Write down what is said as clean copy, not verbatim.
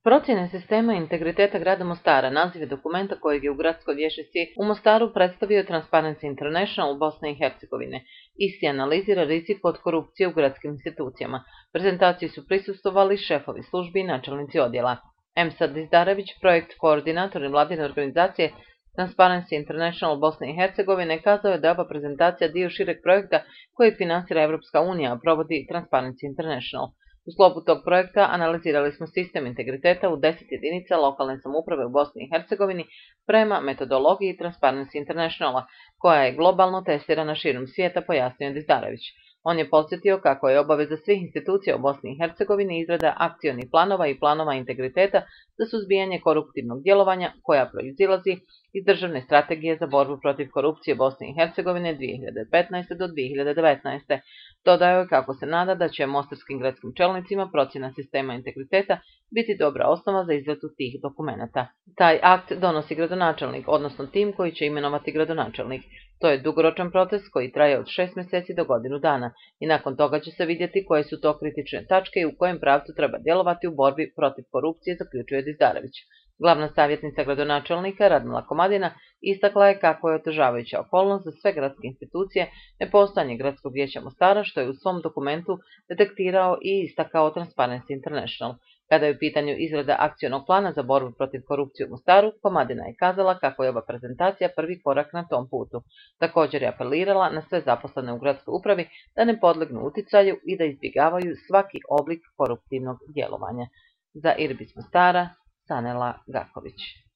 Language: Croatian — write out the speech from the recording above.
Procjene sistema integriteta grada Mostara naziv je dokumenta kojeg je u Gradskoj vijećnici u Mostaru predstavio Transparency International Bosne i Hercegovine. Isti analizira rizik od korupcije u gradskim institucijama. Prezentaciji su prisustvovali šefovi službi i načelnici odjela. Emsad Dizdarević, projekt koordinator nevladine organizacije Transparency International Bosne i Hercegovine, kazao je da je ova prezentacija dio šireg projekta kojeg finansira Evropska unija, a provodi Transparency International. U sklopu tog projekta analizirali smo sistem integriteta u 10 jedinica lokalne samouprave u Bosni i Hercegovini prema metodologiji Transparency Internationala, koja je globalno testirana širom svijeta, pojasnio je Dizdarević. On je podsjetio kako je obaveza svih institucija u Bosni i Hercegovini izrada akcionih planova i planova integriteta za suzbijanje koruptivnog djelovanja koja proizilazi iz državne strategije za borbu protiv korupcije Bosne i Hercegovine 2015. do 2019. Dodao je kako se nada da će mostarskim gradskim čelnicima procjena sistema integriteta biti dobra osnova za izradu tih dokumenata. Taj akt donosi gradonačelnik, odnosno tim koji će imenovati gradonačelnik. To je dugoročan proces koji traje od 6 mjeseci do godinu dana i nakon toga će se vidjeti koje su to kritične tačke i u kojem pravcu treba djelovati u borbi protiv korupcije, zaključuje Dizdarević. Glavna savjetnica gradonačelnika Radmila Komadina istakla je kako je otežavajuća okolnost za sve gradske institucije nepostojanje Gradskog vijeća Mostara, što je u svom dokumentu detektirao i istakao Transparency International. Kada je u pitanju izrada akcionog plana za borbu protiv korupcije u Mostaru, Komadina je kazala kako je ova prezentacija prvi korak na tom putu. Također je apelirala na sve zaposlene u gradskoj upravi da ne podlegnu uticaju i da izbjegavaju svaki oblik koruptivnog djelovanja. Za Irbis Mostara, Sanela Gaković.